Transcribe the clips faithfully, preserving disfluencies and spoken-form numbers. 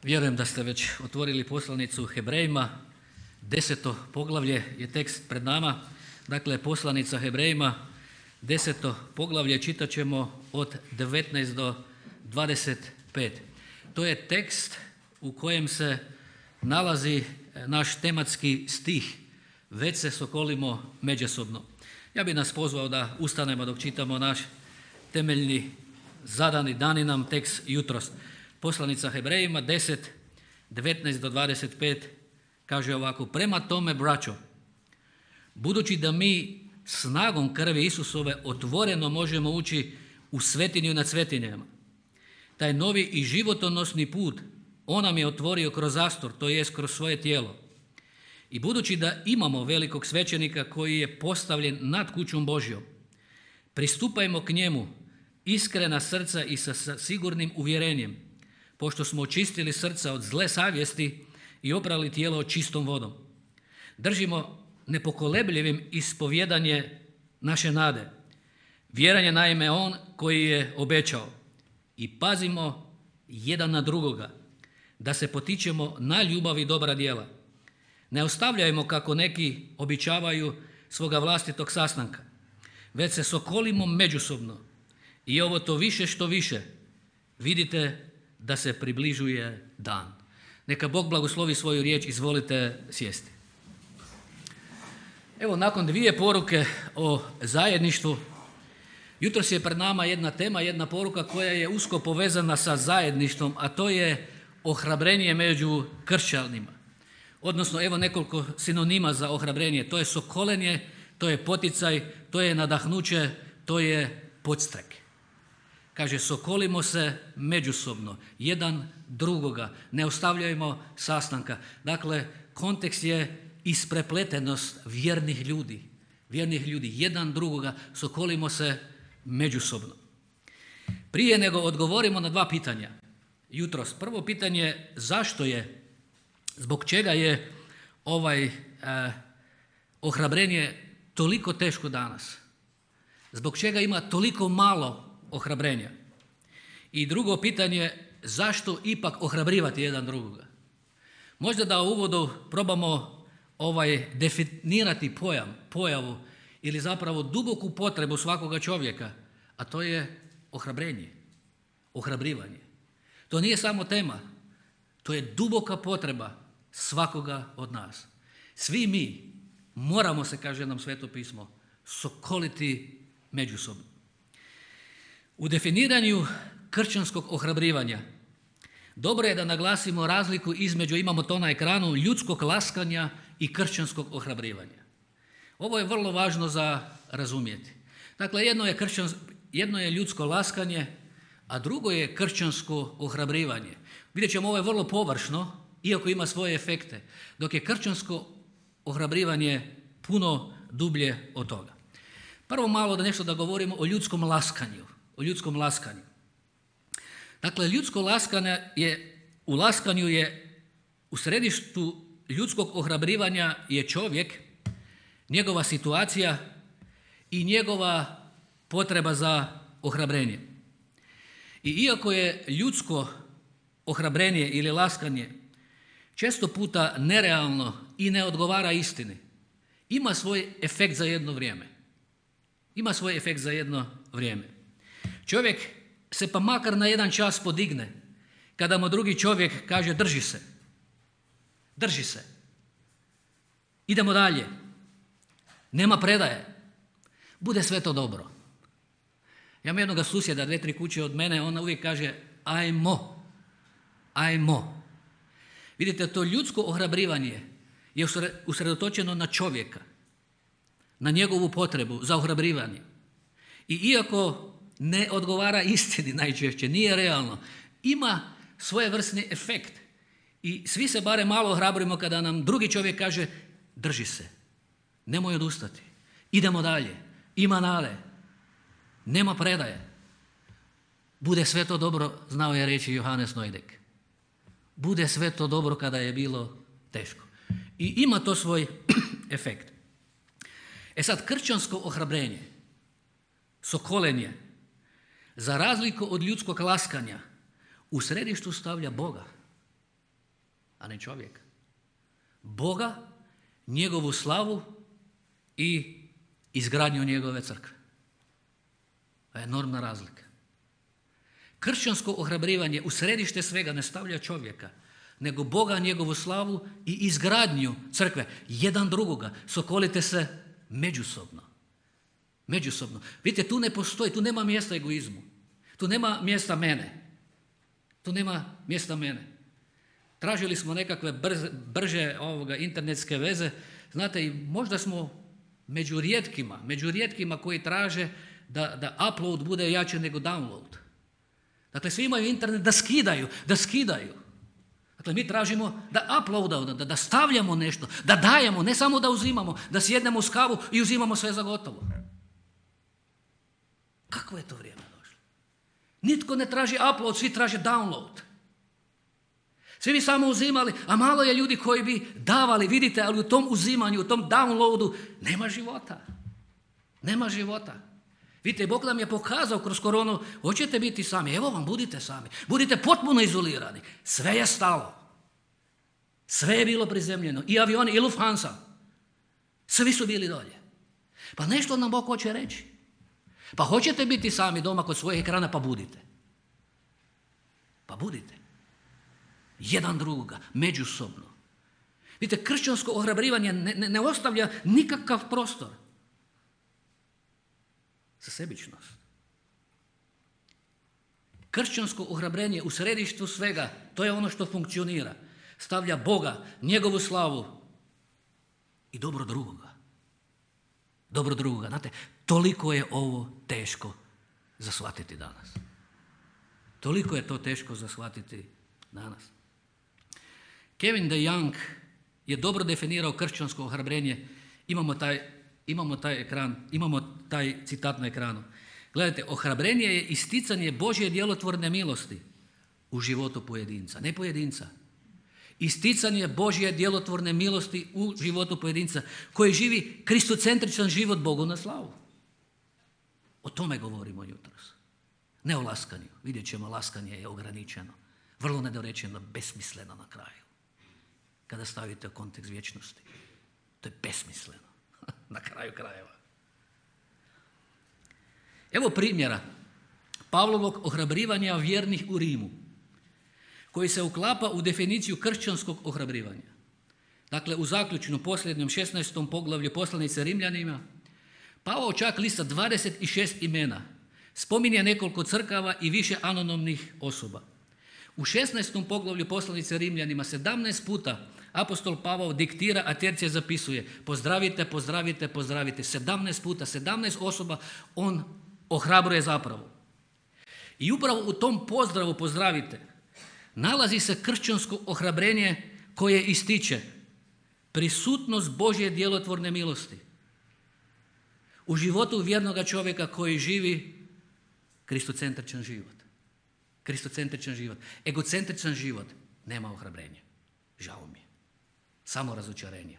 Vjerujem da ste već otvorili poslanicu Hebrejima, deseto poglavlje je tekst pred nama. Dakle, poslanica Hebrejima, deseto poglavlje, čitat ćemo od devetnaest do dvadeset pet. To je tekst u kojem se nalazi naš tematski stih "Već se sokolimo međusobno". Ja bih nas pozvao da ustanemo dok čitamo naš temeljni zadani dani nam tekst jutros. Poslanica Hebrejima deset, devetnaest do dvadeset pet kaže ovako: "Prema tome, braćo, budući da mi snagom krvi Isusove otvoreno možemo ući u svetinju nad svetinjama, taj novi i životonosni put on nam je otvorio kroz zastor, to jest kroz svoje tijelo. I budući da imamo velikog svećenika koji je postavljen nad kućom Božjom, pristupajmo k njemu iskrena srca i sa sigurnim uvjerenjem, pošto smo očistili srca od zle savjesti i oprali tijelo čistom vodom. Držimo nepokolebljivim ispovjedanje naše nade. Vjeran je naime on koji je obećao. I pazimo jedan na drugoga, da se potičemo na ljubav i dobra djela. Ne ostavljajmo kako neki običavaju svoga vlastitog sastanka, već se sokolimo međusobno. I ovo to više što više vidite da se približuje dan." Neka Bog blagoslovi svoju riječ, izvolite sjesti. Evo, nakon dvije poruke o zajedništvu, jutros je pred nama jedna tema, jedna poruka koja je usko povezana sa zajedništvom, a to je ohrabrenje među kršćanima. Odnosno, evo nekoliko sinonima za ohrabrenje. To je sokolenje, to je poticaj, to je nadahnuće, to je podstrek. Kaže, sokolimo se međusobno, jedan drugoga, ne ostavljajmo sastanka. Dakle, kontekst je isprepletenost vjernih ljudi, vjernih ljudi, jedan drugoga, sokolimo se međusobno. Prije nego odgovorimo na dva pitanja jutros. Prvo pitanje, zašto je, zbog čega je ovaj eh, ohrabrenje toliko teško danas? Zbog čega ima toliko malo ohrabrenja? I drugo pitanje, zašto ipak ohrabrivati jedan drugoga? Možda da u uvodu probamo ovaj definirati pojam, pojavu ili zapravo duboku potrebu svakoga čovjeka, a to je ohrabrenje, ohrabrivanje. To nije samo tema, to je duboka potreba svakoga od nas. Svi mi moramo se, kaže nam Sveto pismo, sokoliti međusobno. U definiranju kršćanskog ohrabrivanja dobro je da naglasimo razliku između, imamo to na ekranu, ljudskog laskanja i kršćanskog ohrabrivanja. Ovo je vrlo važno za razumjeti. Dakle, jedno je, kršćans, jedno je ljudsko laskanje, a drugo je kršćansko ohrabrivanje. Vidjet ćemo, ovo je vrlo površno, iako ima svoje efekte, dok je kršćansko ohrabrivanje puno dublje od toga. Prvo malo da nešto da govorimo o ljudskom laskanju. O ljudskom laskanju. Dakle, ljudsko laskanje je, u laskanju je u središtu ljudskog ohrabrivanja je čovjek, njegova situacija i njegova potreba za ohrabrenje. I iako je ljudsko ohrabrenje ili laskanje često puta nerealno i ne odgovara istini, ima svoj efekt za jedno vrijeme. Ima svoj efekt za jedno vrijeme. Čovjek se pa makar na jedan čas podigne kada mu drugi čovjek kaže drži se, drži se, idemo dalje, nema predaje, bude sve to dobro. Ja imam jednoga susjeda, dve, tri kuće od mene, ona uvijek kaže ajmo, ajmo. Vidite, to ljudsko ohrabrivanje je usredotočeno na čovjeka, na njegovu potrebu za ohrabrivanje. I iako ne odgovara istini najčešće, nije realno, ima svojevrsni efekt. I svi se bare malo ohrabrimo kada nam drugi čovjek kaže drži se, nemoj odustati, idemo dalje, ima nade, nema predaje. Bude sve to dobro, znao je reći Johannes Nojdek. Bude sve to dobro kada je bilo teško. I ima to svoj efekt. E sad, kršćansko ohrabrenje, sokolenje, za razliku od ljudskog laskanja, u središtu stavlja Boga. a ne čovjeka. Boga, njegovu slavu i izgradnju njegove crkve. To je enormna razlika. Kršćansko ohrabrivanje u središte svega ne stavlja čovjeka, nego Boga, njegovu slavu i izgradnju crkve. Jedan drugoga. Sokolite se međusobno. Međusobno. Vidite, tu ne postoji, tu nema mjesta egoizmu. Tu nema mjesta mene. Tu nema mjesta mene. Tražili smo nekakve brze, brže ovoga, internetske veze. Znate, i možda smo među rijetkima, među rijetkima koji traže da, da upload bude jače nego download. Dakle, svi imaju internet da skidaju, da skidaju. Dakle, mi tražimo da uploadamo, da, da stavljamo nešto, da dajemo, ne samo da uzimamo, da sjednemo uz kavu i uzimamo sve za gotovo. Kakvo je to vrijeme došlo? Nitko ne traži upload, svi traže download. Svi bi samo uzimali, a malo je ljudi koji bi davali, vidite, ali u tom uzimanju, u tom downloadu nema života. Nema života. Vidite, Bog nam je pokazao kroz koronu, hoćete biti sami, evo vam, budite sami. Budite potpuno izolirani. Sve je stalo. Sve je bilo prizemljeno. I avioni, i Lufthansa. Svi su bili dolje. Pa nešto nam Bog hoće reći. Pa hoćete biti sami doma kod svojih ekrana, pa budite. Pa budite. Jedan drugoga, međusobno. Vidite, kršćansko ohrabrivanje ne, ne, ne ostavlja nikakav prostor za sebičnost. Kršćansko ohrabrenje u središtu svega, to je ono što funkcionira. Stavlja Boga, njegovu slavu i dobro drugoga. Dobro drugoga. Znate, toliko je ovo teško za shvatiti danas. Toliko je to teško za shvatiti danas. Kevin DeYoung je dobro definirao kršćansko ohrabrenje. Imamo taj, imamo taj ekran, imamo taj citat na ekranu. Gledajte, ohrabrenje je isticanje Božje djelotvorne milosti u životu pojedinca, ne pojedinca. Isticanje Božje djelotvorne milosti u životu pojedinca koji živi kristocentričan život Bogu na slavu. O tome govorimo jutros. Ne o laskanju. Vidjet ćemo, laskanje je ograničeno. Vrlo nedorečeno, besmisleno na kraju. Kada stavite u kontekst vječnosti. To je besmisleno. Na kraju krajeva. Evo primjera Pavlovog ohrabrivanja vjernih u Rimu, koji se uklapa u definiciju kršćanskog ohrabrivanja. Dakle, u zaključnom posljednjem šesnaestom poglavlju poslanice Rimljanima, Pavao čak lista dvadeset šest imena, spominje nekoliko crkava i više anonimnih osoba. U šesnaestom poglavlju poslanice Rimljanima sedamnaest puta apostol Pavao diktira, a tercija zapisuje pozdravite, pozdravite, pozdravite. sedamnaest puta, sedamnaest osoba on ohrabruje zapravo. I upravo u tom pozdravu pozdravite nalazi se kršćansko ohrabrenje koje ističe prisutnost Božje djelotvorne milosti u životu vjernoga čovjeka koji živi kristocentričan život. Kristocentričan život. Egocentričan život nema ohrabrenja. Žao mi je. Samo razočarenje.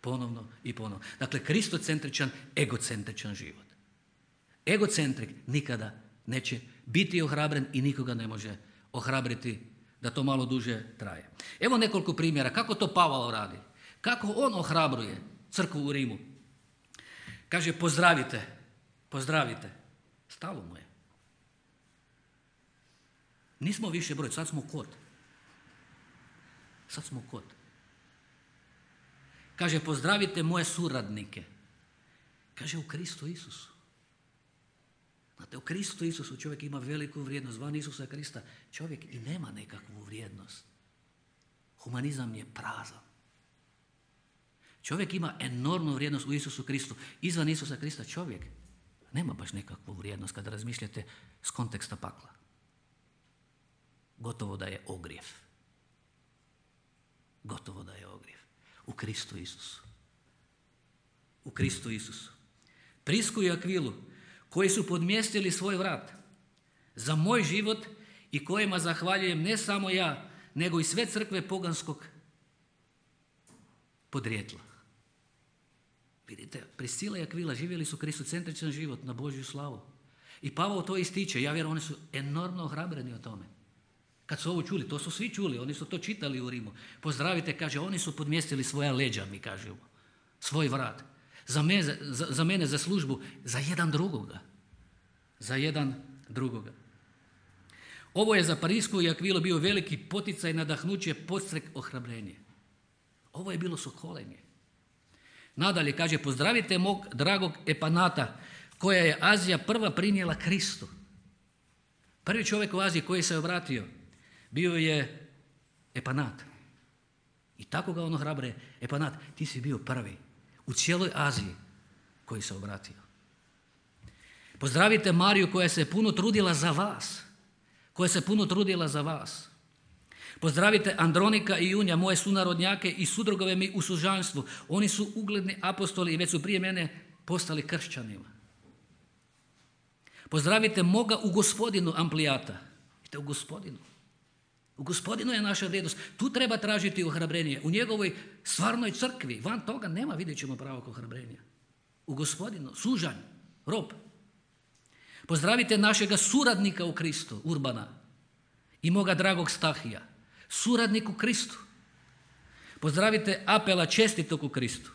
Ponovno i ponovno. Dakle, kristocentričan, egocentričan život. Egocentrik nikada neće biti ohrabren i nikoga ne može ohrabriti da to malo duže traje. Evo nekoliko primjera kako to Pavao radi. Kako on ohrabruje crkvu u Rimu. Kaže pozdravite, pozdravite. Stalo mu je. Nismo više broj, sad smo kod. Sad smo kod. Kaže pozdravite moje suradnike. Kaže u Kristu Isusu. Znate, u Kristu Isusu čovjek ima veliku vrijednost. Van Isusa Krista čovjek i nema nekakvu vrijednost. Humanizam je prazan. Čovjek ima enormnu vrijednost u Isusu Kristu. Izvan Isusa Krista čovjek nema baš nekakvu vrijednost kada razmišljate s konteksta pakla. Gotovo da je ogrijev. Gotovo da je ogrijev. U Kristu Isusu. U Kristu Isusu. Prisku i Akvilu, koji su podmjestili svoj vrat za moj život i kojima zahvaljujem ne samo ja, nego i sve crkve poganskog podrijetla. Vidite, Priscila i Akvila živjeli su kristocentričan život na Božju slavu. I Pavao to ističe. Ja vjerujem, oni su enormno ohrabreni o tome. Kad su ovo čuli, to su svi čuli, oni su to čitali u Rimu. Pozdravite, kaže, oni su podmjestili svoja leđa, mi kažemo, svoj vrat. Za mene, za, za mene, za službu, za jedan drugoga. Za jedan drugoga. Ovo je za Parisku i Akvilu bio veliki poticaj, nadahnuće, podstrek, ohrabrenje. Ovo je bilo sokolenje. Nadalje, kaže, pozdravite mog dragog Epanata, koja je Azija prva prinijela Kristu. Prvi čovjek u Aziji koji se obratio bio je Epanat. I tako ga ono hrabre, Epanat, ti si bio prvi u cijeloj Aziji koji se obratio. Pozdravite Mariju koja se puno trudila za vas. Koja se puno trudila za vas. Pozdravite Andronika i Junja, moje sunarodnjake i sudrugove mi u sužanstvu. Oni su ugledni apostoli i već su prije mene postali kršćanima. Pozdravite moga u Gospodinu Amplijata. Vidite, u Gospodinu. U Gospodinu je naša vrijednost. Tu treba tražiti ohrabrenje. U njegovoj stvarnoj crkvi. Van toga nema, vidjet ćemo pravog ohrabrenja. U Gospodinu, sužanj, rob. Pozdravite našega suradnika u Kristu, Urbana. I moga dragog Stahija. Suradnik u Kristu. Pozdravite Apela, čestitog u Kristu.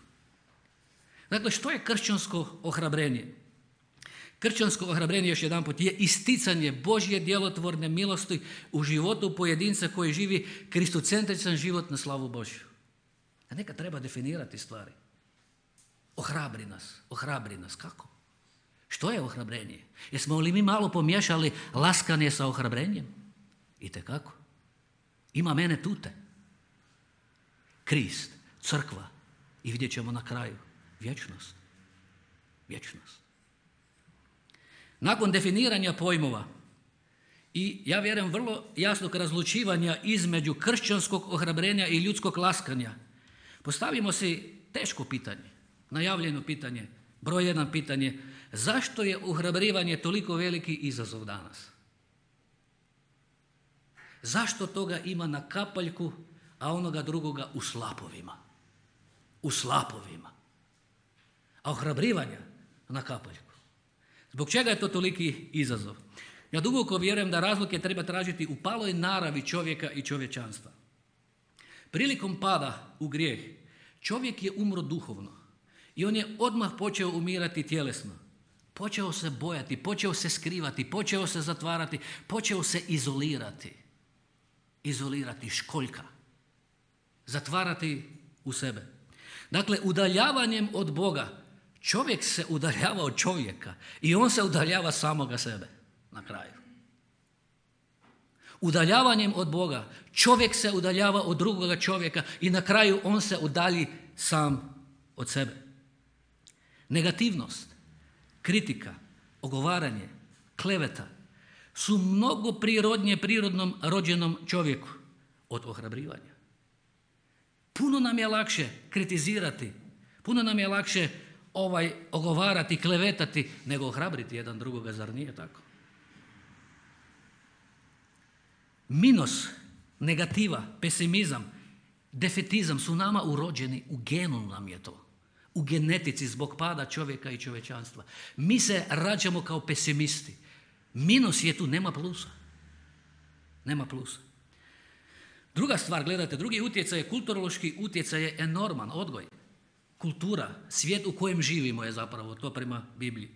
Dakle, što je kršćansko ohrabrenje? Kršćansko ohrabrenje, još jedanput, je isticanje Božje djelotvorne milosti u životu pojedinca koji živi kristocentričan život na slavu Božju. A neka treba definirati stvari. Ohrabri nas, ohrabri nas. Kako? Što je ohrabrenje? Jesmo li mi malo pomiješali laskanje sa ohrabrenjem? Itekako. Ima mene tute. Krist, crkva i vidjet ćemo na kraju vječnost. Vječnost. Nakon definiranja pojmova i ja vjerujem vrlo jasnog razlučivanja između kršćanskog ohrabrenja i ljudskog laskanja, postavimo si teško pitanje, najavljeno pitanje, broj jedan pitanje, zašto je ohrabrivanje toliko veliki izazov danas? Zašto toga ima na kapaljku, a onoga drugoga u slapovima? U slapovima. A ohrabrivanja na kapaljku. Zbog čega je to toliki izazov? Ja duboko vjerujem da razloge treba tražiti u paloj naravi čovjeka i čovječanstva. Prilikom pada u grijeh, čovjek je umro duhovno i on je odmah počeo umirati tjelesno. Počeo se bojati, počeo se skrivati, počeo se zatvarati, počeo se izolirati. Izolirati, školjka. Zatvarati u sebe. Dakle, udaljavanjem od Boga čovjek se udaljava od čovjeka i on se udaljava samoga sebe na kraju. Udaljavanjem od Boga čovjek se udaljava od drugoga čovjeka i na kraju on se udalji sam od sebe. Negativnost, kritika, ogovaranje, kleveta su mnogo prirodnije prirodnom rođenom čovjeku od ohrabrivanja. Puno nam je lakše kritizirati, puno nam je lakše ovaj ogovarati, klevetati, nego ohrabriti jedan drugoga, zar nije tako? Minus, negativa, pesimizam, defetizam su nama urođeni, u genu nam je to. U genetici zbog pada čovjeka i čovječanstva. Mi se rađamo kao pesimisti. Minus je tu, nema plusa. Nema plusa. Druga stvar, gledajte, drugi utjecaj je kulturološki utjecaj je enorman, odgoj. Kultura, svijet u kojem živimo je zapravo to prema Bibliji.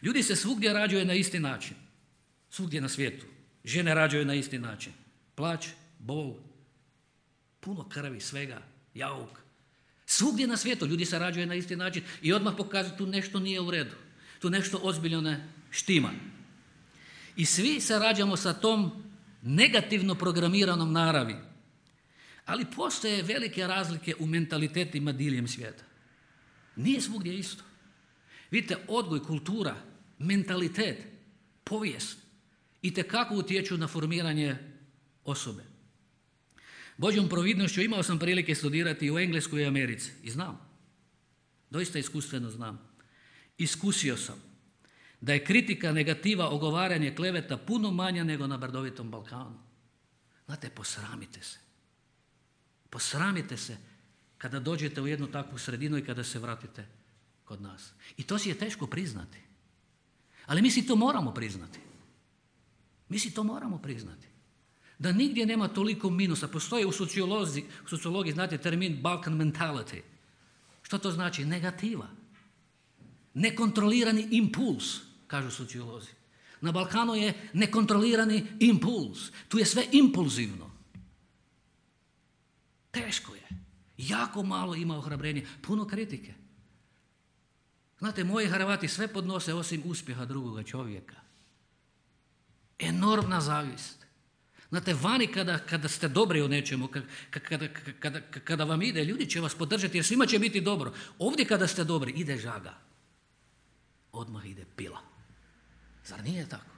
Ljudi se svugdje rađaju na isti način. Svugdje na svijetu. Žene rađaju na isti način. Plać, bol, puno krvi, svega, jauk. Svugdje na svijetu ljudi se rađaju na isti način i odmah pokazuju tu nešto nije u redu. Tu nešto ozbiljno ne štima. I svi se rađamo sa tom negativno programiranom naravi. Ali postoje velike razlike u mentalitetima diljem svijeta. Nije svugdje isto. Vidite, odgoj, kultura, mentalitet, povijest itekako utječu na formiranje osobe. Božjom providnošću imao sam prilike studirati u Engleskoj i Americi i znam, doista iskustveno znam, iskusio sam da je kritika, negativa, ogovaranje, kleveta puno manja nego na brdovitom Balkanu. Znate, posramite se. Posramite se kada dođete u jednu takvu sredinu i kada se vratite kod nas. I to si je teško priznati. Ali mi si to moramo priznati. Mi si to moramo priznati. Da nigdje nema toliko minusa. Postoji u sociologiji, u sociologiji znate termin Balkan mentality. Što to znači? Negativa. Nekontrolirani impuls, kažu sociolozi. Na Balkanu je nekontrolirani impuls. Tu je sve impulzivno. Teško je. Jako malo ima ohrabrenja. Puno kritike. Znate, moji Hrvati sve podnose osim uspjeha drugoga čovjeka. Enormna zavist. Znate, vani kada, kada ste dobri u nečemu, kada, kada, kada vam ide, ljudi će vas podržati jer svima će biti dobro. Ovdje kada ste dobri, ide žaga. Odmah ide pila. Zar nije tako?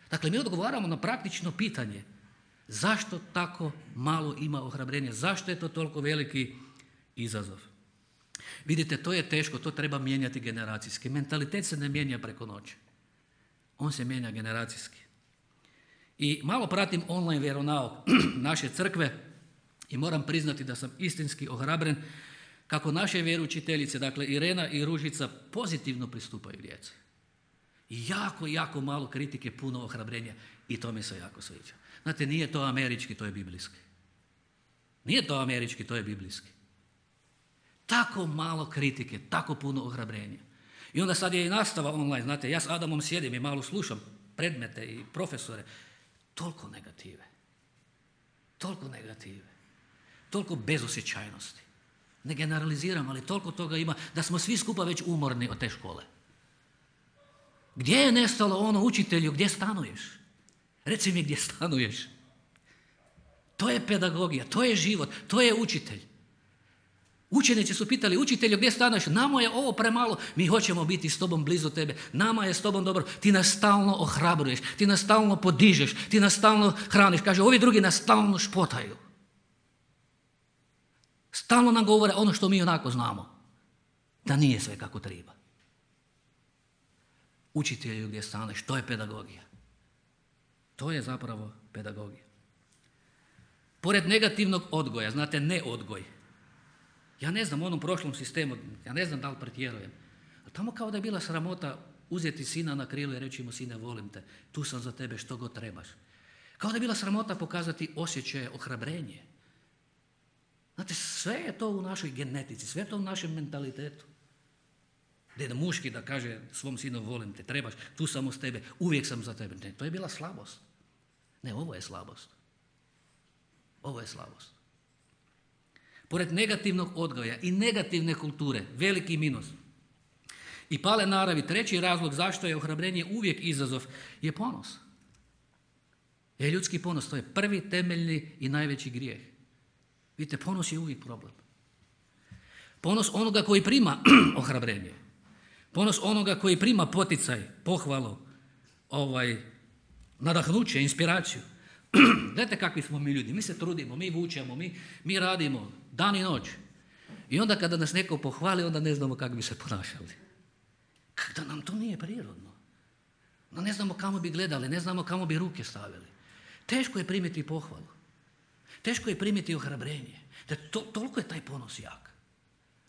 Dakle, mi odgovaramo na praktično pitanje. Zašto tako malo ima ohrabrenja? Zašto je to toliko veliki izazov? Vidite, to je teško, to treba mijenjati generacijski. Mentalitet se ne mijenja preko noći. On se mijenja generacijski. I malo pratim online vjeronauk naše crkve i moram priznati da sam istinski ohrabren kako naše vjeroučiteljice, dakle Irena i Ružica, pozitivno pristupaju djeci. Jako, jako malo kritike, puno ohrabrenja i to mi se jako sviđa. Znate, nije to američki, to je biblijski. Nije to američki, to je biblijski. Tako malo kritike, tako puno ohrabrenja. I onda sad je i nastava online, znate, ja s Adamom sjedim i malo slušam predmete i profesore. Toliko negative. Toliko negative. Toliko bezosjećajnosti. Ne generaliziram, ali toliko toga ima da smo svi skupa već umorni od te škole. Gdje je nestalo ono učitelju, gdje stanuješ? Reci mi gdje stanuješ. To je pedagogija, to je život, to je učitelj. Učenici su pitali učitelju gdje stanuješ, nama je ovo premalo, mi hoćemo biti s tobom blizu tebe, nama je s tobom dobro, ti nas stalno ohrabruješ, ti nas stalno podižeš, ti nas stalno hraniš. Kaže, ovi drugi nas stalno špotaju. Stalno nam govore ono što mi onako znamo, da nije sve kako treba. Učitelju gdje staneš, to je pedagogija. To je zapravo pedagogija. Pored negativnog odgoja, znate, ne odgoj. Ja ne znam, u onom prošlom sistemu, ja ne znam da li pretjerujem, ali tamo kao da je bila sramota uzeti sina na krilo i reći mu, sine, volim te, tu sam za tebe, što god trebaš. Kao da je bila sramota pokazati osjećaje, ohrabrenje. Znate, sve je to u našoj genetici, sve je to u našem mentalitetu. Deda muški da kaže svom sinu, volim te, trebaš, tu sam uz tebe, uvijek sam za tebe. Ne, to je bila slabost. Ne, ovo je slabost. Ovo je slabost. Pored negativnog odgoja i negativne kulture, veliki minus. I pale naravi, treći razlog zašto je ohrabrenje uvijek izazov, je ponos. Je ljudski ponos, to je prvi, temeljni i najveći grijeh. Vidite, ponos je uvijek problem. Ponos onoga koji prima ohrabrenje. Ponos onoga koji prima poticaj, pohvalu, ovaj, nadahnuće, inspiraciju. Gledajte kakvi smo mi ljudi, mi se trudimo, mi vučemo, mi, mi radimo dan i noć. I onda kada nas neko pohvali, onda ne znamo kako bi se ponašali. Kada nam to nije prirodno. No, ne znamo kamo bi gledali, ne znamo kamo bi ruke stavili. Teško je primiti pohvalu. Teško je primiti ohrabrenje. Da to, toliko je taj ponos jak.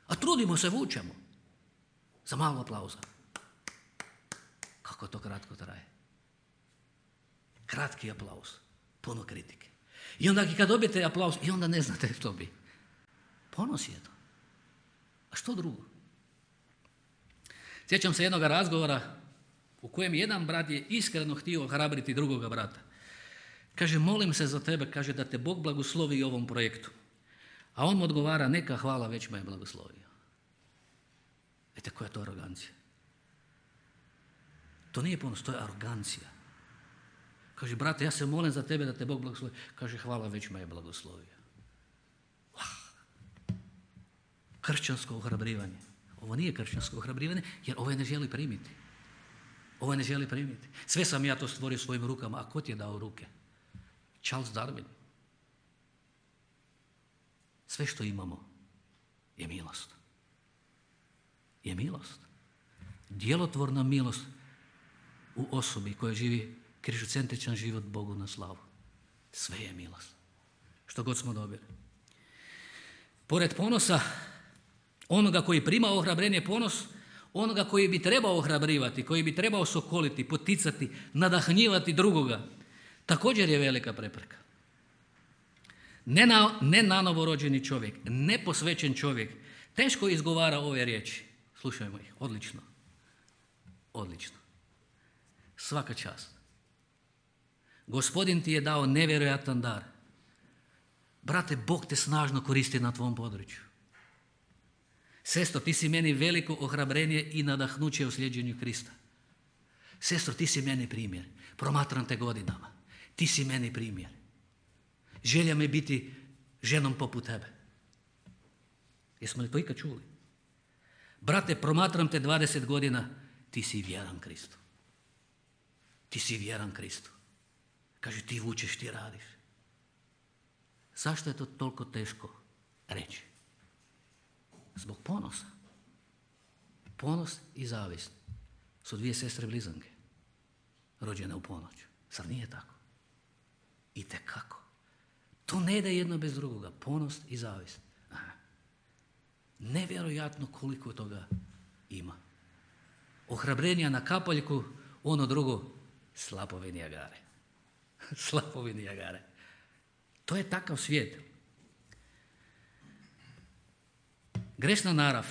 A trudimo se, vučemo. Za malo aplauza. Kako to kratko traje. Kratki aplauz. Puno kritike. I onda kad dobijete aplauz, i onda ne znate što bi. Ponos je to. A što drugo? Sjećam se jednog razgovora u kojem jedan brat je iskreno htio ohrabriti drugoga brata. Kaže, molim se za tebe, kaže, da te Bog blagoslovi ovom projektu. A on mu odgovara, neka, hvala, već me je blagoslovio. Vidite, koja je to arogancija? To nije ponos, to je arogancija. Kaže, brate, ja se molim za tebe da te Bog blagoslovi. Kaže, hvala, već me je blagoslovio. Kršćansko ohrabrivanje. Ovo nije kršćansko ohrabrivanje, jer ovo je ne želi primiti. Ovo je ne želi primiti. Sve sam ja to stvorio svojim rukama, a ko ti je dao ruke? Charles Darwin. Sve što imamo je milost. Je milost. Djelotvorna milost u osobi koja živi križocentričan život Bogu na slavu. Sve je milost. Što god smo dobili. Pored ponosa, onoga koji prima ohrabrenje, ponos, onoga koji bi trebao ohrabrivati, koji bi trebao sokoliti, poticati, nadahnjivati drugoga, također je velika prepreka. nenanovo čovjek, neposvećen čovjek, teško izgovara ove riječi. Slušajmo ih, odlično. Odlično. Svaka čast. Gospodin ti je dao nevjerojatan dar. Brate, Bog te snažno koristi na tvom području. Sestro, ti si meni veliko ohrabrenje i nadahnuće u slijeđenju Krista. Sestro, ti si meni primjer. Promatram te godinama. Ti si meni primjer. Želja mi biti ženom poput tebe. Jesmo li to ikad čuli? Brate, promatram te dvadeset godina, ti si vjeran Kristu. Ti si vjeran Kristu. Kaže, ti vučeš, ti radiš. Zašto je to toliko teško reći? Zbog ponosa. Ponos i zavist su dvije sestre blizanke, rođene u ponoć. Zar nije tako? Itekako. To ne ide jedno bez drugoga. Ponos i zavist. Aha. Nevjerojatno koliko toga ima. Ohrabrenja na kapaljku, ono drugo, slapovi Nijagare. Slapovi Nijagare. To je takav svijet. Grešna narav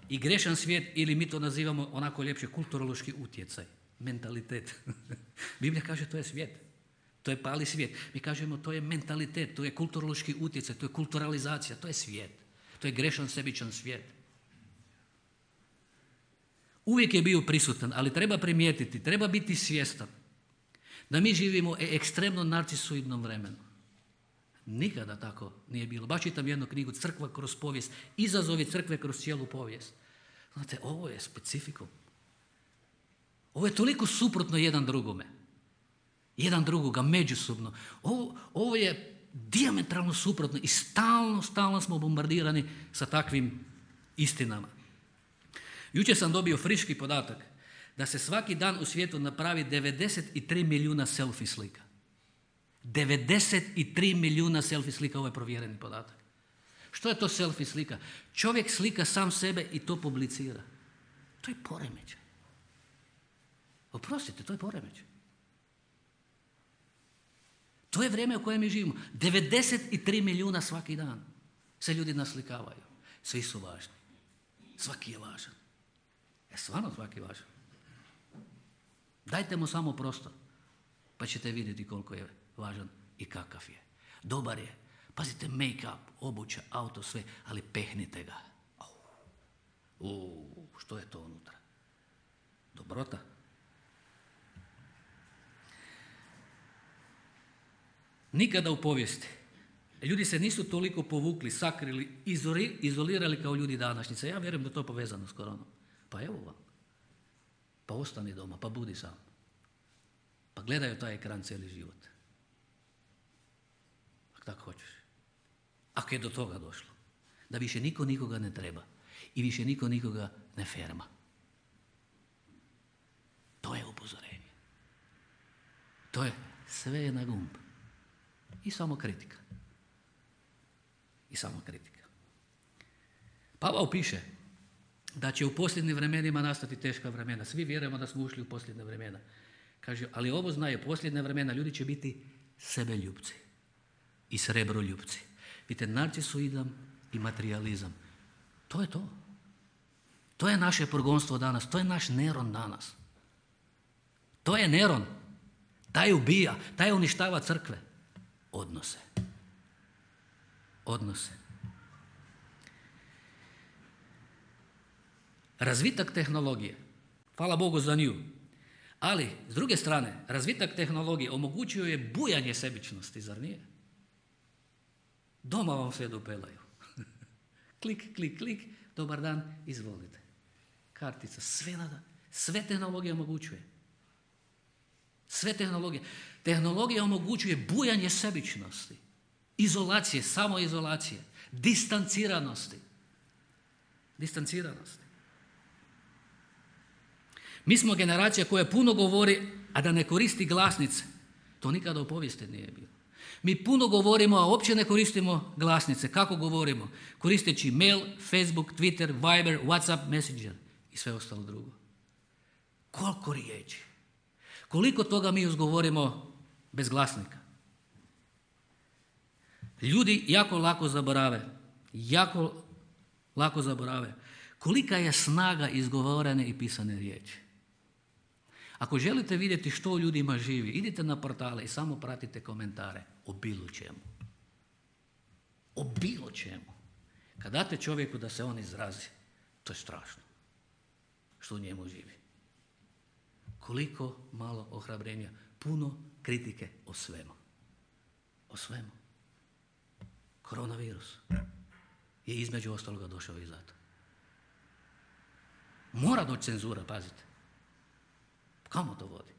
i grešan svijet, ili mi to nazivamo onako ljepše kulturološki utjecaj, mentalitet. Biblija kaže to je svijet, to je pali svijet. Mi kažemo to je mentalitet, to je kulturološki utjecaj, to je kulturalizacija, to je svijet. To je grešan sebičan svijet. Uvijek je bio prisutan, ali treba primijetiti, treba biti svjestan da mi živimo u ekstremno narcisoidnom vremenu. Nikada tako nije bilo. Baš čitam jednu knjigu, Crkva kroz povijest, izazovi crkve kroz cijelu povijest. Znate, ovo je specifikum. Ovo je toliko suprotno jedan drugome. Jedan drugoga, međusobno. Ovo, ovo je dijametralno suprotno i stalno, stalno smo bombardirani sa takvim istinama. Jučer sam dobio friški podatak da se svaki dan u svijetu napravi devedeset tri milijuna selfie slika. devedeset tri milijuna selfie slika, ovo je provjereni podatak. Što je to selfie slika? Čovjek slika sam sebe i to publicira. To je poremećaj. Oprostite, to je poremećaj. To je vrijeme u kojem mi živimo. devedeset tri milijuna svaki dan se ljudi naslikavaju. Svi su važni. Svaki je važan. Je stvarno svaki važan. Dajte mu samo prostor, pa ćete vidjeti koliko je važan i kakav je. Dobar je. Pazite, make-up, obuća, auto, sve, ali pehnite ga. Uuu, što je to unutra? Dobrota. Nikada u povijesti ljudi se nisu toliko povukli, sakrili, izolirali kao ljudi današnjice. Ja vjerujem da je to povezano s koronom. Pa evo vam. Pa ostani doma, pa budi sam. Pa gledaju taj ekran cijeli život. Ako tako hoćeš. Ako je do toga došlo. Da više niko nikoga ne treba. I više niko nikoga ne ferma. To je upozorenje. To je sve je na gumb. I samo kritika. I samo kritika. Pavao piše da će u posljednjim vremenima nastati teška vremena. Svi vjerujemo da smo ušli u posljednje vremena. Kaže, ali ovo znaju, posljednja vremena ljudi će biti sebeljupci i srebroljupci. Vidite, narcisoidam i materijalizam. To je to. To je naše progonstvo danas. To je naš Neron danas. To je Neron. Taj ubija, taj uništava crkve. Odnose. Odnose. Razvitak tehnologije. Hvala Bogu za nju. Ali, s druge strane, razvitak tehnologije omogućio je bujanje sebičnosti, zar nije? Doma vam sve dopelaju. Klik, klik, klik, dobar dan, izvolite. Kartica, sve nada, sve tehnologija omogućuje. Sve tehnologije. Tehnologija omogućuje bujanje sebičnosti, izolacije, samoizolacije, distanciranosti. Distanciranosti. Mi smo generacija koja puno govori, a da ne koristi glasnice. To nikada u povijesti nije bilo. Mi puno govorimo, a uopće ne koristimo glasnice. Kako govorimo? Koristeći mail, Facebook, Twitter, Viber, WhatsApp, Messenger i sve ostalo drugo. Koliko riječi? Koliko toga mi uzgovorimo bez glasnika? Ljudi jako lako zaborave, jako lako zaborave kolika je snaga izgovorene i pisane riječi. Ako želite vidjeti što u ljudima živi, idite na portale i samo pratite komentare o bilo čemu. O bilo čemu. Kad date čovjeku da se on izrazi, to je strašno što u njemu živi. Koliko malo ohrabrenja, puno kritike o svemu. O svemu. Koronavirus je između ostaloga došao i zato. Mora doći cenzura, pazite. Kamo to vodi?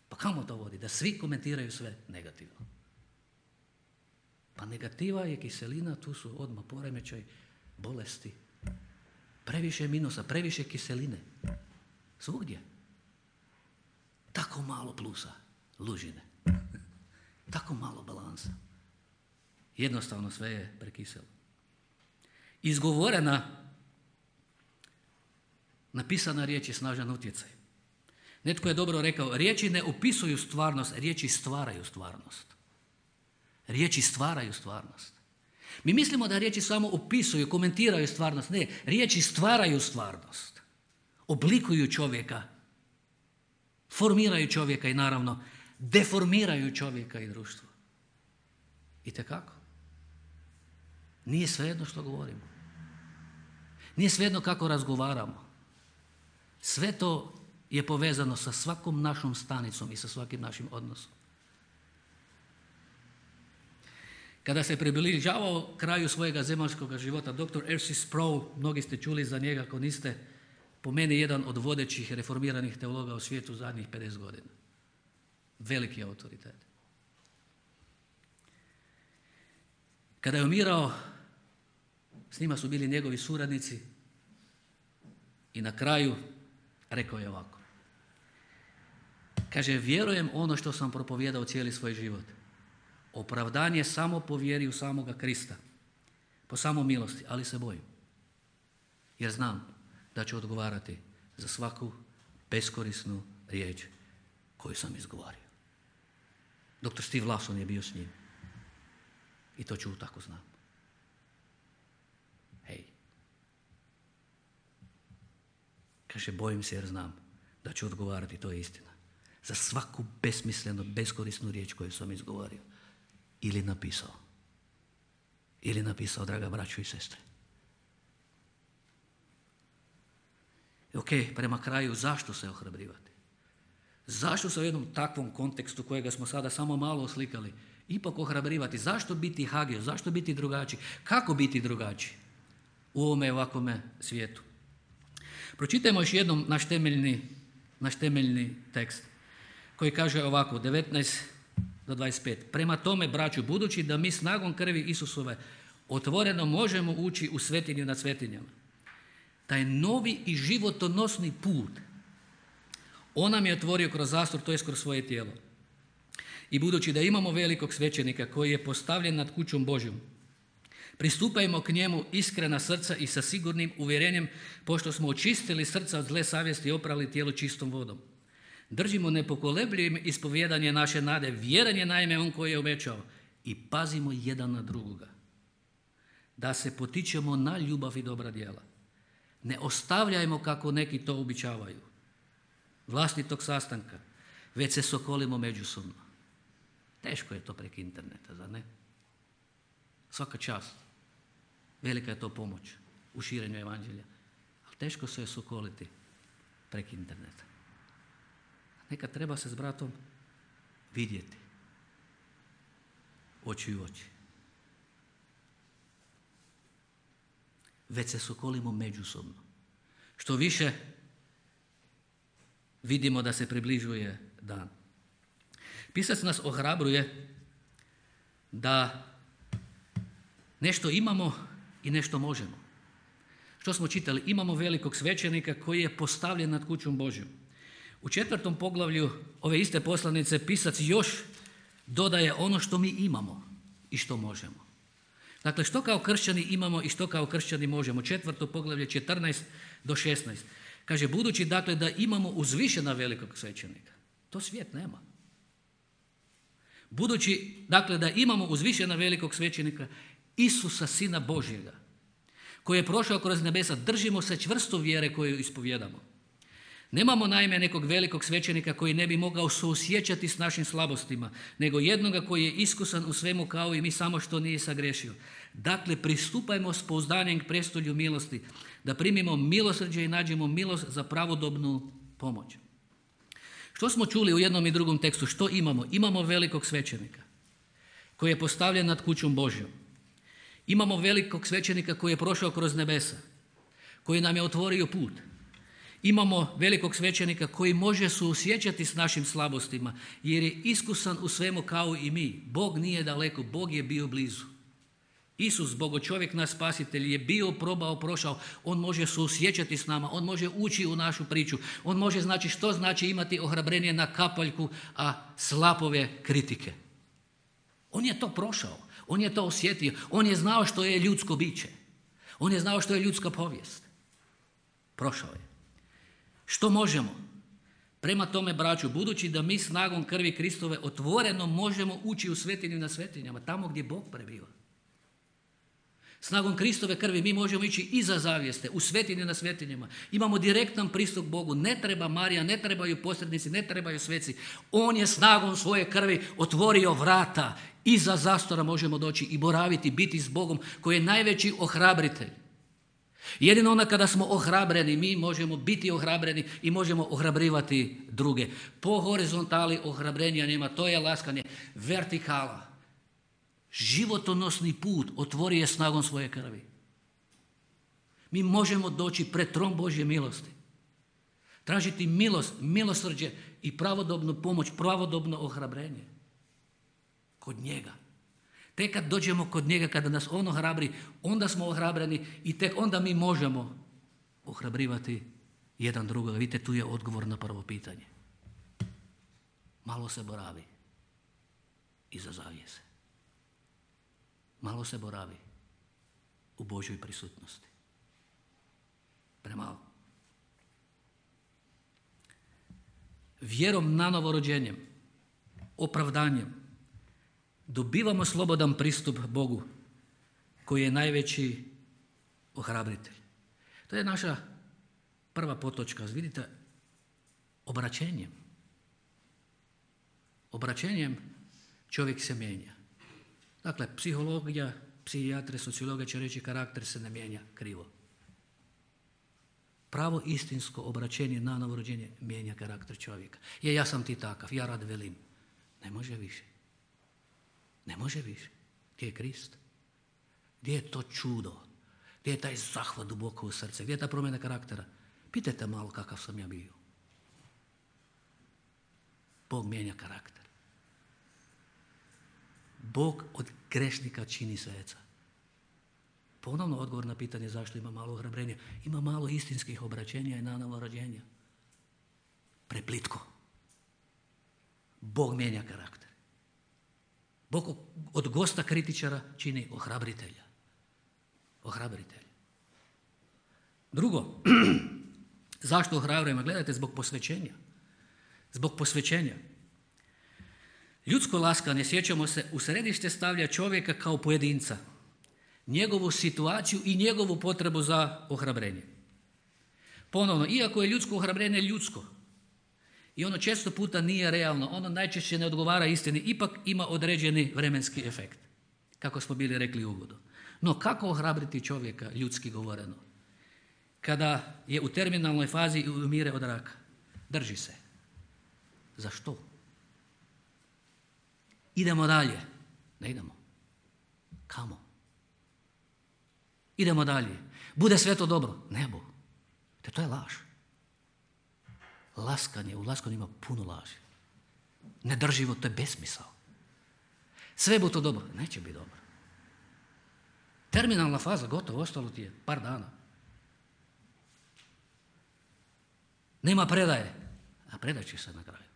Pa kamo to vodi? Da svi komentiraju sve negativno. Pa negativa je kiselina, tu su odmah poremećaj, bolesti. Previše minusa, previše kiseline. Svugdje. Tako malo plusa, lužine. Tako malo balansa. Jednostavno sve je prekiselo. Izgovorena, napisana riječ je snažan utjecaj. Netko je dobro rekao, riječi ne opisuju stvarnost, riječi stvaraju stvarnost. Riječi stvaraju stvarnost. Mi mislimo da riječi samo opisuju, komentiraju stvarnost. Ne, riječi stvaraju stvarnost. Oblikuju čovjeka, formiraju čovjeka i naravno deformiraju čovjeka i društvo. Itekako. Nije svejedno što govorimo. Nije svejedno kako razgovaramo. Sve to je povezano sa svakom našom stanicom i sa svakim našim odnosom. Kada se približavao kraju svojega zemaljskog života, doktor R C Sproul, mnogi ste čuli za njega, ako niste, po meni jedan od vodećih reformiranih teologa u svijetu zadnjih pedeset godina. Veliki autoritet. Kada je umirao, s njima su bili njegovi suradnici i na kraju rekao je ovako. Kaže, vjerujem ono što sam propovijedao cijeli svoj život. Opravdanje samo po vjeri u samoga Krista, po samo milosti, ali se bojim. Jer znam da ću odgovarati za svaku beskorisnu riječ koju sam izgovorio. doktor Steve Lawson je bio s njim. I to ću tako znam. Hej. Kaže, bojim se jer znam da ću odgovarati, to je istina. Za svaku besmislenu, beskorisnu riječ koju sam izgovorio. Ili napisao. Ili napisao, draga braćo i sestre. Ok, prema kraju, zašto se ohrabrivati? Zašto se u jednom takvom kontekstu kojega smo sada samo malo oslikali, ipak ohrabrivati? Zašto biti hagio? Zašto biti drugačiji? Kako biti drugačiji u ovome ovakvome svijetu? Pročitajmo još jednom naš temeljni, naš temeljni tekst koji kaže ovako, devetnaest do dvadeset pet. Prema tome, braću, budući da mi snagom krvi Isusove otvoreno možemo ući u svetinju nad svetinjama, taj novi i životonosni put on nam je otvorio kroz zastor, to jest kroz svoje tijelo. I budući da imamo velikog svećenika koji je postavljen nad kućom Božjom, pristupajmo k njemu iskrena srca i sa sigurnim uvjerenjem, pošto smo očistili srca od zle savjesti i oprali tijelo čistom vodom. Držimo nepokolebljivim ispovjedanje naše nade, vjeran je naime on koji je obećao, i pazimo jedan na drugoga, da se potičemo na ljubav i dobra djela. Ne ostavljajmo kako neki to običavaju, vlastitog sastanka, već se sokolimo međusobno. Teško je to preko interneta, zar ne? Svaka čast. Velika je to pomoć u širenju evanđelja. Ali teško se je sokoliti preko interneta. Nekad treba se s bratom vidjeti. Oči u oči. Već se sokolimo međusobno. Što više vidimo da se približuje dan. Pisac nas ohrabruje da nešto imamo i nešto možemo. Što smo čitali? Imamo velikog svećenika koji je postavljen nad kućom Božjom. U četvrtom poglavlju ove iste poslanice pisac još dodaje ono što mi imamo i što možemo. Dakle, što kao kršćani imamo i što kao kršćani možemo. Četvrto poglavlje četrnaest do šesnaest. Kaže, budući dakle da imamo uzvišena velikog svećenika. To svijet nema. Budući, dakle, da imamo uzvišena velikog svećenika Isusa, Sina Božjega, koji je prošao kroz nebesa, držimo se čvrsto vjere koju ispovjedamo. Nemamo naime nekog velikog svećenika koji ne bi mogao suosjećati s našim slabostima, nego jednoga koji je iskusan u svemu kao i mi, samo što nije sagriješio. Dakle, pristupajmo s pouzdanjem k prestolju milosti, da primimo milosrđe i nađemo milost za pravodobnu pomoć. Što smo čuli u jednom i drugom tekstu? Što imamo? Imamo velikog svećenika koji je postavljen nad kućom Božjom. Imamo velikog svećenika koji je prošao kroz nebesa, koji nam je otvorio put. Imamo velikog svećenika koji može suosjećati s našim slabostima, jer je iskusan u svemu kao i mi. Bog nije daleko, Bog je bio blizu. Isus, Bogočovjek, naš spasitelj, je bio, probao, prošao. On može suosjećati s nama, on može ući u našu priču. On može znači što znači imati ohrabrenje na kapaljku, a slapove kritike. On je to prošao, on je to osjetio, on je znao što je ljudsko biće. On je znao što je ljudska povijest. Prošao je. Što možemo? Prema tome, braću, budući da mi snagom krvi Kristove otvoreno možemo ući u svetinju na svetinjama, tamo gdje Bog prebiva. Snagom Kristove krvi mi možemo ići iza zavjeste, u svetinju na svetinjama. Imamo direktan pristup Bogu, ne treba Marija, ne trebaju posrednici, ne trebaju sveci. On je snagom svoje krvi otvorio vrata. Iza zastora možemo doći i boraviti, biti s Bogom koji je najveći ohrabritelj. Jedino onda kada smo ohrabreni, mi možemo biti ohrabreni i možemo ohrabrivati druge. Po horizontali ohrabrenja nema, to je laskanje. Vertikala, životonosni put otvori je snagom svoje krvi. Mi možemo doći pred tron Božje milosti. Tražiti milost, milosrđe i pravodobnu pomoć, pravodobno ohrabrenje. Kod njega. Tek kad dođemo kod njega, kada nas on ohrabri, onda smo ohrabreni i tek onda mi možemo ohrabrivati jedan drugoga. Vidite, tu je odgovor na prvo pitanje. Malo se boravi iza zavjese. Malo se boravi u Božjoj prisutnosti. Premalo. Vjerom na novorođenjem, opravdanjem, dobivamo slobodan pristup Bogu, koji je najveći ohrabritelj. To je naša prva potočka. Vidite, obraćenjem. Obraćenjem čovjek se mijenja. Dakle, psihologija, psihijatre, sociologija će reći karakter se ne mijenja krivo. Pravo istinsko obraćenje na novorođenje mijenja karakter čovjeka. Je, ja sam ti takav, ja rad velim. Ne može više. Ne može više. Gdje je Krist? Gdje je to čudo? Gdje je taj zahvat duboko u srce? Gdje je ta promjena karaktera? Pitajte malo kakav sam ja bio. Bog mijenja karakter. Bog od grešnika čini sveca. Ponovno odgovor na pitanje zašto ima malo ohrabrenja. Ima malo istinskih obraćenja i na novorođenja. Preplitko. Bog mijenja karakter. Bog od gosta kritičara čini ohrabritelja. Ohrabritelja. Drugo, zašto ohrabrujemo? Gledajte, zbog posvećenja. Zbog posvećenja. Ljudsko laskanje, sjećamo se, u središte stavlja čovjeka kao pojedinca, njegovu situaciju i njegovu potrebu za ohrabrenje. Ponovno, iako je ljudsko ohrabrenje ljudsko i ono često puta nije realno, ono najčešće ne odgovara istini, ipak ima određeni vremenski efekt, kako smo bili rekli u uvodu. No kako ohrabriti čovjeka, ljudski govoreno, kada je u terminalnoj fazi i umire od raka? Drži se. Zašto? Idemo dalje. Ne idemo. Kamo? Idemo dalje. Bude sve to dobro. Ne bu. Te to je laž. Laskanje, u laskanju ima puno laži. Nedrživo, to je besmisao. Sve bu to dobro. Neće biti dobro. Terminalna faza, gotovo, ostalo ti je par dana. Nema predaje. A predat će se na kraju.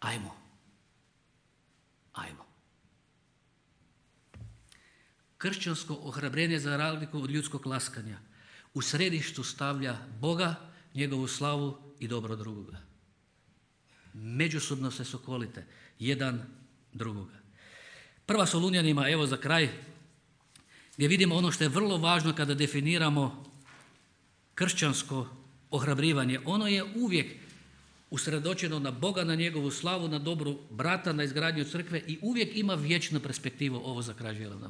Ajmo. Ajmo. Kršćansko ohrabrenje za razliku od ljudskog laskanja u središtu stavlja Boga, njegovu slavu i dobro drugoga. Međusobno se sokolite jedan drugoga. Prva Solunjanima, evo za kraj, gdje vidimo ono što je vrlo važno kada definiramo kršćansko ohrabrivanje. Ono je uvijek usredočeno na Boga, na njegovu slavu, na dobru brata, na izgradnju crkve i uvijek ima vječnu perspektivu. Ovo za kraj želim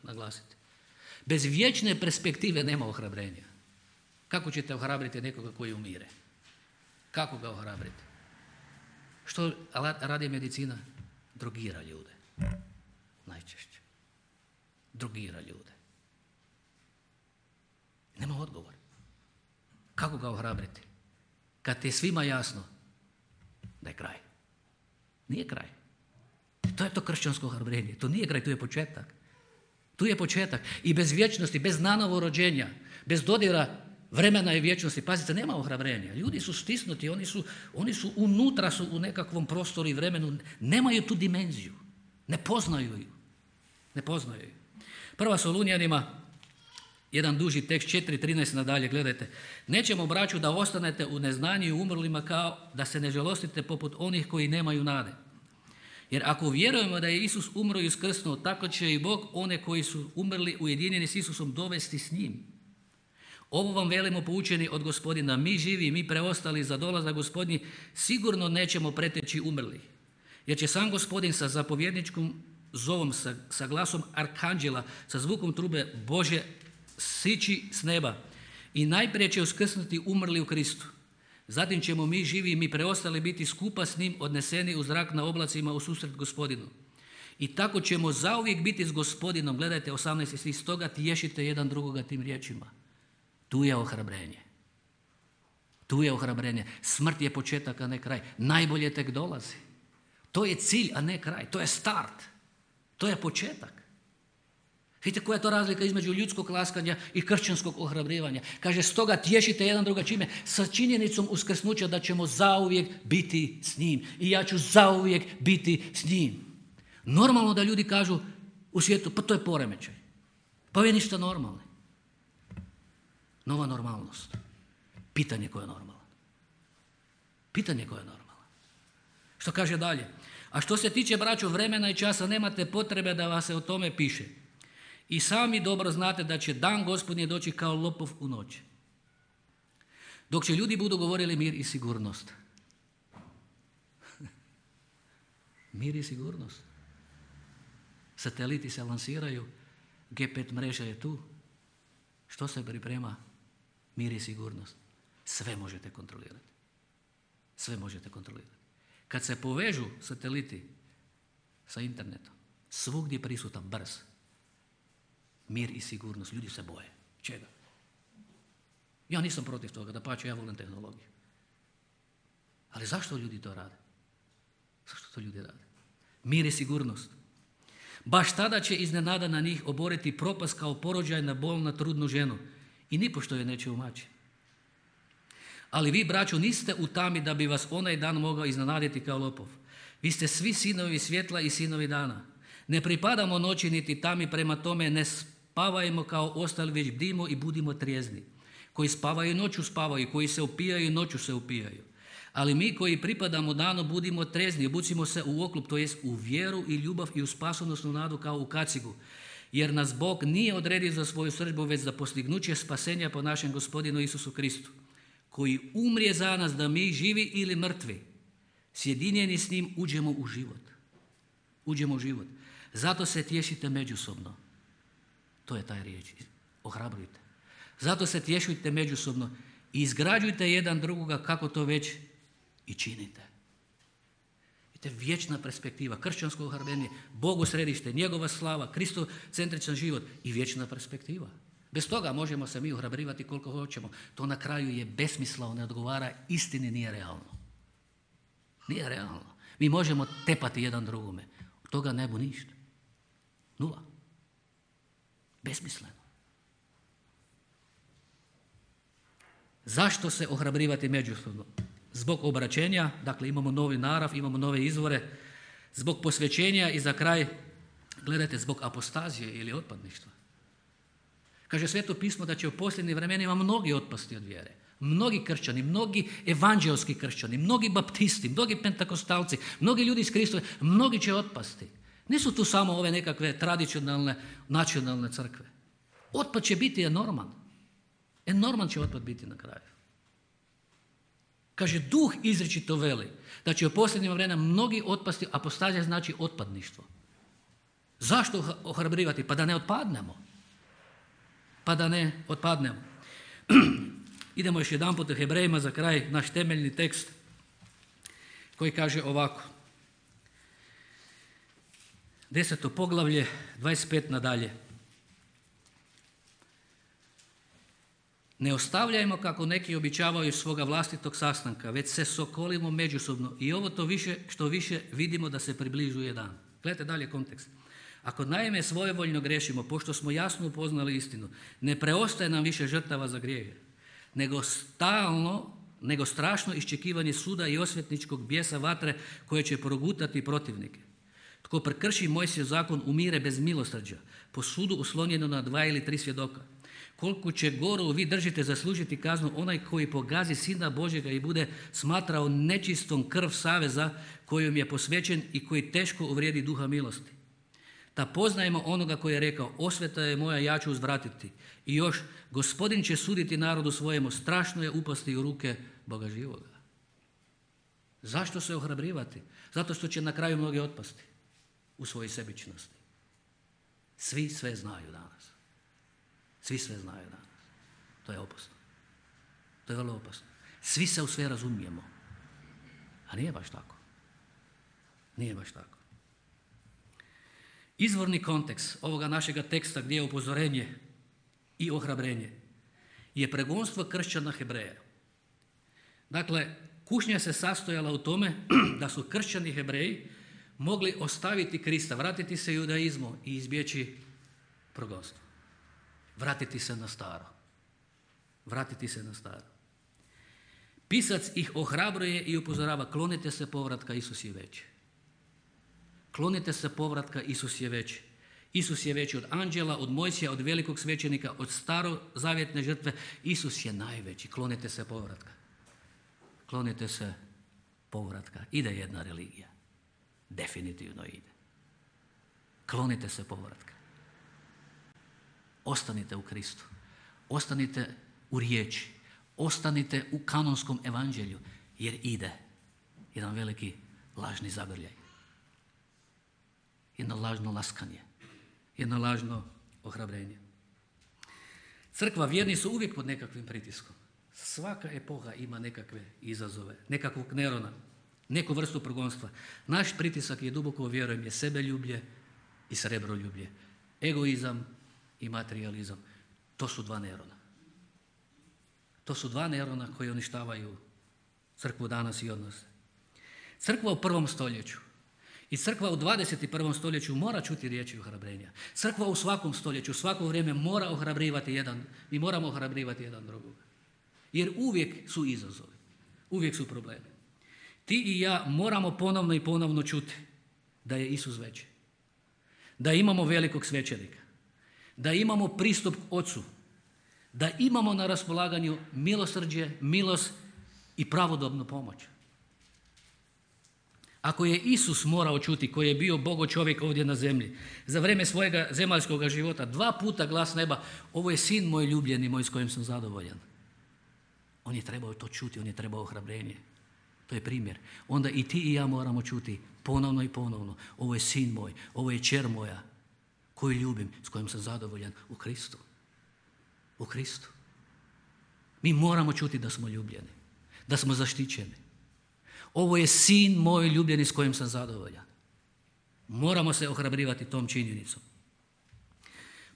naglasiti. Bez vječne perspektive nema ohrabrenja. Kako ćete ohrabriti nekoga koji umire? Kako ga ohrabriti? Što radi medicina? Drogira ljude. Najčešće. Drogira ljude. Nema odgovor. Kako ga ohrabriti? Kad ti je svima jasno da je kraj. Nije kraj. To je to kršćansko ohrabrenje. To nije kraj, to je početak. Tu je početak. I bez vječnosti, bez nanovo rođenja, bez dodira vremena i vječnosti, pazite, nema ohrabrenja. Ljudi su stisnuti, oni su, oni su unutra su u nekakvom prostoru i vremenu, nemaju tu dimenziju, ne poznaju ju. Ne poznaju ju. Prva Solunjanima, jedan duži tekst, četiri trinaest nadalje, gledajte. Nećemo, braću, da ostanete u neznanju i umrlima kao da se ne žalostite poput onih koji nemaju nade. Jer ako vjerujemo da je Isus umro i uskrsnuo, tako će i Bog one koji su umrli ujedinjeni s Isusom dovesti s njim. Ovo vam velimo poučeni od Gospodina. Mi živi, mi preostali za dolazak Gospodnji sigurno nećemo preteći umrli. Jer će sam Gospodin sa zapovjedničkom zovom, sa, sa glasom arkanđela, sa zvukom trube Bože sići s neba. I najprije će uskrsnuti umrli u Kristu. Zatim ćemo mi živi i mi preostali biti skupa s njim odneseni u zrak na oblacima u susret Gospodinu. I tako ćemo zauvijek biti s Gospodinom. Gledajte osamnaesti stih, stoga tješite jedan drugoga tim riječima. Tu je ohrabrenje. Tu je ohrabrenje. Smrt je početak, a ne kraj. Najbolje tek dolazi. To je cilj, a ne kraj. To je start. To je početak. Vidite koja je to razlika između ljudskog laskanja i kršćanskog ohrabrivanja. Kaže, stoga tješite jedan druga čime? Sa činjenicom uskrsnuća da ćemo zauvijek biti s njim. I ja ću zauvijek biti s njim. Normalno da ljudi kažu u svijetu, pa to je poremećaj. Pa je ništa normalno. Nova normalnost. Pitanje koje je normalno. Pitanje koje je normalno. Što kaže dalje? A što se tiče, braćo, vremena i časa, nemate potrebe da vas se o tome piše. I sami dobro znate da će dan Gospodnji doći kao lopov u noć. Dok će ljudi budu govorili mir i sigurnost. Mir i sigurnost. Sateliti se lansiraju, G pet mreža je tu. Što se priprema? Mir i sigurnost. Sve možete kontrolirati. Sve možete kontrolirati. Kad se povežu sateliti sa internetom, svugdje prisutan brz. Mir i sigurnost. Ljudi se boje. Čega? Ja nisam protiv toga, dapače, ja volim tehnologiju. Ali zašto ljudi to rade? Zašto to ljudi rade? Mir i sigurnost. Baš tada će iznenada na njih oboriti propast kao porođaj na bolna trudnu ženu i nipošto je neće umaći. Ali vi, braćo, niste u tami da bi vas onaj dan mogao iznenaditi kao lopov. Vi ste svi sinovi svjetla i sinovi dana. Ne pripadamo noći niti tami, prema tome ne spavajmo kao ostali, već bdimo i budimo trijezni. Koji spavaju noću spavaju, koji se upijaju noću se upijaju. Ali mi koji pripadamo danu budimo trezni, obucimo se u oklop, to jest u vjeru i ljubav i u spasonosnu nadu kao u kacigu. Jer nas Bog nije odredio za svoju srdbu, već za postignuće spasenja po našem Gospodinu Isusu Kristu, koji umrije za nas da mi, živi ili mrtvi, sjedinjeni s njim, uđemo u život. Uđemo u život. Zato se tješite međusobno. To je taj riječ. Ohrabrujte. Zato se tješujte međusobno i izgrađujte jedan drugoga kako to već i činite. Vidite, vječna perspektiva, kršćansko ohrabrenje, Bogu središte, njegova slava, kristocentričan život i vječna perspektiva. Bez toga možemo se mi ohrabrivati koliko hoćemo. To na kraju je besmisleno, ne odgovara istini, nije realno. Nije realno. Mi možemo tepati jedan drugome. Od toga ne bu ništa. Nula. Besmisleno. Zašto se ohrabrivati međusobno? Zbog obraćenja, dakle imamo novi narav, imamo nove izvore, zbog posvećenja i za kraj, gledajte, zbog apostazije ili otpadništva. Kaže Sveto pismo da će u posljednjim vremenima mnogi otpasti od vjere. Mnogi kršćani, mnogi evanđelski kršćani, mnogi baptisti, mnogi pentakostalci, mnogi ljudi iz Kristove, mnogi će otpasti. Nisu tu samo ove nekakve tradicionalne, nacionalne crkve. Otpad će biti enorman. Enorman će otpad biti na kraju. Kaže, duh izričito veli da će u posljednjima vremena mnogi otpasti, apostazija znači otpadništvo. Zašto ohrabrivati? Pa da ne otpadnemo. Pa da ne otpadnemo. Idemo još jedan put u Hebrejima za kraj, naš temeljni tekst koji kaže ovako. Deseto poglavlje, dvadeset pet nadalje. Ne ostavljajmo kako neki običavaju svoga vlastitog sastanka, već se sokolimo međusobno i ovo to više što više vidimo da se približuje dan. Gledajte dalje kontekst. Ako naime svojevoljno grešimo, pošto smo jasno upoznali istinu, ne preostaje nam više žrtava za grijehe, nego stalno, nego strašno iščekivanje suda i osvetničkog bijesa vatre koje će progutati protivnike. Tko prekrši Mojsijev zakon umire bez milosrđa, po sudu uslonjeno na dva ili tri svjedoka. Koliko će goru vi držite zaslužiti kaznu onaj koji pogazi Sina Božjega i bude smatrao nečistom krv saveza kojom je posvećen i koji teško uvrijedi duha milosti. Da poznajemo onoga koji je rekao, osveta je moja, ja ću uzvratiti. I još, Gospodin će suditi narodu svojemu, strašno je upasti u ruke Boga živoga. Zašto se ohrabrivati? Zato što će na kraju mnogi otpasti u svojoj sebičnosti. Svi sve znaju danas. Svi sve znaju danas. To je opasno. To je vrlo opasno. Svi se u sve razumijemo. A nije baš tako. Nije baš tako. Izvorni kontekst ovoga našega teksta gdje je upozorenje i ohrabrenje je pregonstvo kršćana Hebreja. Dakle, kušnja se sastojala u tome da su kršćani Hebreji mogli ostaviti Krista, vratiti se judaizmu i izbjeći progonstvo. Vratiti se na staro. Vratiti se na staro. Pisac ih ohrabruje i upozorava, klonite se povratka, Isus je veći. Klonite se povratka, Isus je veći. Isus je veći od anđela, od Mojsija, od velikog svećenika, od starozavjetne žrtve. Isus je najveći. Klonite se povratka. Klonite se povratka. Ide jedna religija. Definitivno ide. Klonite se povratka. Ostanite u Kristu. Ostanite u riječi. Ostanite u kanonskom evanđelju. Jer ide jedan veliki lažni zagrljaj. Jedno lažno laskanje. Jedno lažno ohrabrenje. Crkva, vjerni su uvijek pod nekakvim pritiskom. Svaka epoha ima nekakve izazove, nekakvog Nerona, neku vrstu progonstva. Naš pritisak je, duboko vjerujem, je sebeljublje i srebroljublje. Egoizam i materializam. To su dva Nerona. To su dva Nerona koji uništavaju crkvu danas i odnose. Crkva u prvom stoljeću i crkva u dvadeset prvom stoljeću mora čuti riječi ohrabrenja. Crkva u svakom stoljeću, u svako vrijeme mora ohrabrivati jedan, mi moramo ohrabrivati jedan drugog. Jer uvijek su izazovi, uvijek su problemi. Ti i ja moramo ponovno i ponovno čuti da je Isus veći. Da imamo velikog svećenika. Da imamo pristup Ocu. Da imamo na raspolaganju milosrđe, milost i pravodobnu pomoć. Ako je Isus morao čuti, koji je bio Bogo čovjek ovdje na zemlji, za vrijeme svojega zemaljskog života, dva puta glas neba, ovo je sin moj ljubljeni, moj s kojim sam zadovoljan. On je trebao to čuti, on je trebao ohrabrenje. To je primjer. Onda i ti i ja moramo čuti ponovno i ponovno, ovo je sin moj, ovo je kćer moja, koju ljubim, s kojim sam zadovoljan u Kristu. U Kristu. Mi moramo čuti da smo ljubljeni, da smo zaštićeni. Ovo je sin moj ljubljeni s kojim sam zadovoljan. Moramo se ohrabrivati tom činjenicom.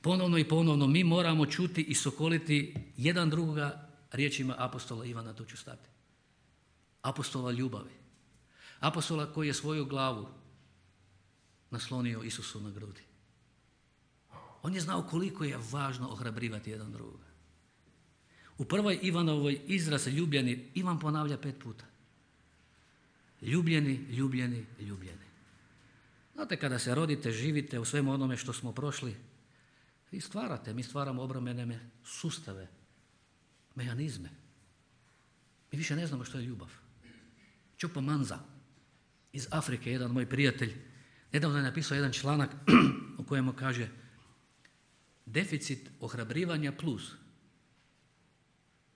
Ponovno i ponovno mi moramo čuti i sokoliti jedan drugoga riječima apostola Ivana, tu ću stati. Apostola ljubavi. Apostola koji je svoju glavu naslonio Isusu na grudi. On je znao koliko je važno ohrabrivati jedan drugoga. U prvoj Ivanovoj izraz ljubljeni, Ivan ponavlja pet puta. Ljubljeni, ljubljeni, ljubljeni. Znate, kada se rodite, živite u svemu onome što smo prošli, vi stvarate, mi stvaramo obrambene sustave, mehanizme. Mi više ne znamo što je ljubav. Čupo Manza iz Afrike, jedan moj prijatelj, nedavno je napisao jedan članak u kojemu kaže deficit ohrabrivanja plus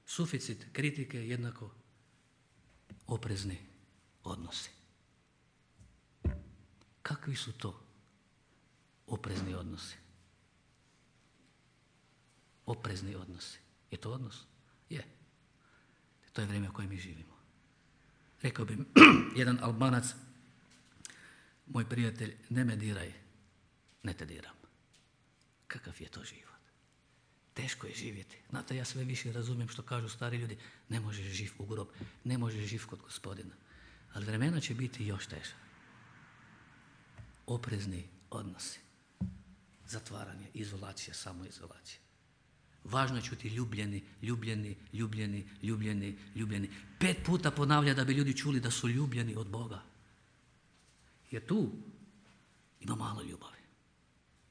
suficit kritike jednako oprezni odnosi. Kakvi su to oprezni odnosi? Oprezni odnosi. Je to odnos? Je. To je vrijeme u kojem mi živimo. Rekao bi jedan Albanac, moj prijatelj, ne me diraj, ne te diram. Kakav je to život? Teško je živjeti. Znate, ja sve više razumijem što kažu stari ljudi, ne možeš živ u grob, ne možeš živ kod Gospodina. Ali vremena će biti još teža. Oprezni odnosi. Zatvaranje, izolacija, samoizolacija. Važno je čuti ljubljeni, ljubljeni, ljubljeni, ljubljeni, ljubljeni. Pet puta ponavlja da bi ljudi čuli da su ljubljeni od Boga. Jer tu ima malo ljubavi.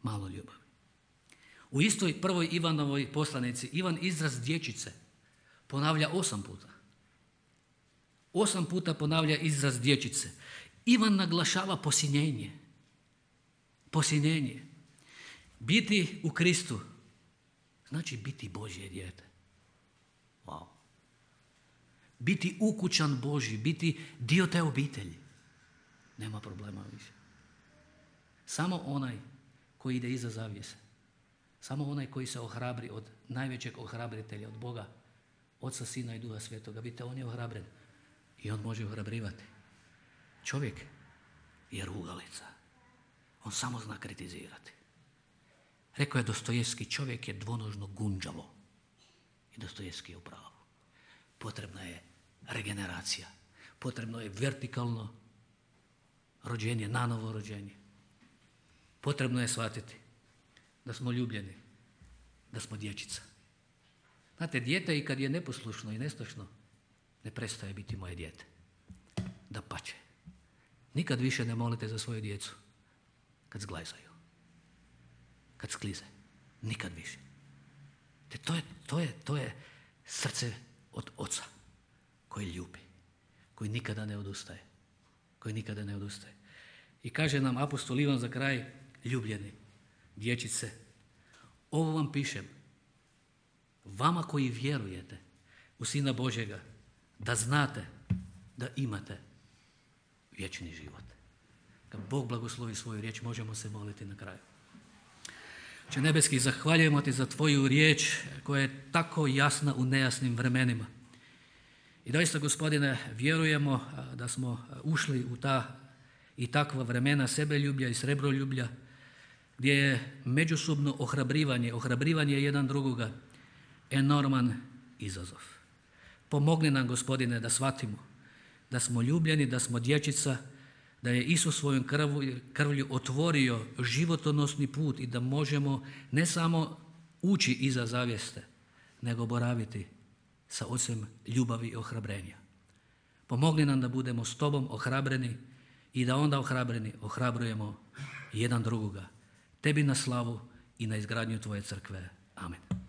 Malo ljubavi. U istoj prvoj Ivanovoj poslanici Ivan izraz dječice ponavlja osam puta. Osam puta ponavlja izraz dječice. Ivan naglašava posinjenje. Posinjenje. Biti u Kristu znači biti Božje dijete. Wow. Biti ukućan Božji, biti dio te obitelji. Nema problema više. Samo onaj koji ide iza zavjese. Samo onaj koji se ohrabri od najvećeg ohrabritelja, od Boga, Oca, Sina i Duha Svetoga. Vidite, on je ohrabren i on može ohrabrivati. Čovjek je rugalica. On samo zna kritizirati. Rekao je Dostojevski, čovjek je dvonožno gunđavo. I Dostojevski je u pravu. Potrebna je regeneracija. Potrebno je vertikalno rođenje, nanovo rođenje. Potrebno je shvatiti da smo ljubljeni, da smo dječica. Znate, dijete i kad je neposlušno i nestašno, ne prestaje biti moje dijete. Dapače. Nikad više ne molite za svoju djecu kad zglajzaju, kad sklize. Nikad više. Te to je, to je, to je srce od Oca koji ljubi, koji nikada ne odustaje. Koji nikada ne odustaje. I kaže nam apostol Ivan za kraj, ljubljeni, dječice, ovo vam pišem, vama koji vjerujete u Sina Božjega, da znate da imate vječni život. Kad Bog blagoslovi svoju riječ, možemo se moliti na kraju. Oče nebeski, zahvaljujemo ti za tvoju riječ koja je tako jasna u nejasnim vremenima. I doista, Gospodine, vjerujemo da smo ušli u ta i takva vremena sebeljublja i srebroljublja, gdje je međusobno ohrabrivanje, ohrabrivanje jedan drugoga enorman izazov. Pomogni nam, Gospodine, da shvatimo da smo ljubljeni, da smo dječica, da je Isus svojom krvlju, krvlju otvorio životonosni put i da možemo ne samo ući iza zavjeste, nego boraviti sa Ocem ljubavi i ohrabrenja. Pomogni nam da budemo s Tobom ohrabreni i da onda ohrabreni ohrabrujemo jedan drugoga. Tebi na slavu i na izgradnju Tvoje crkve. Amen.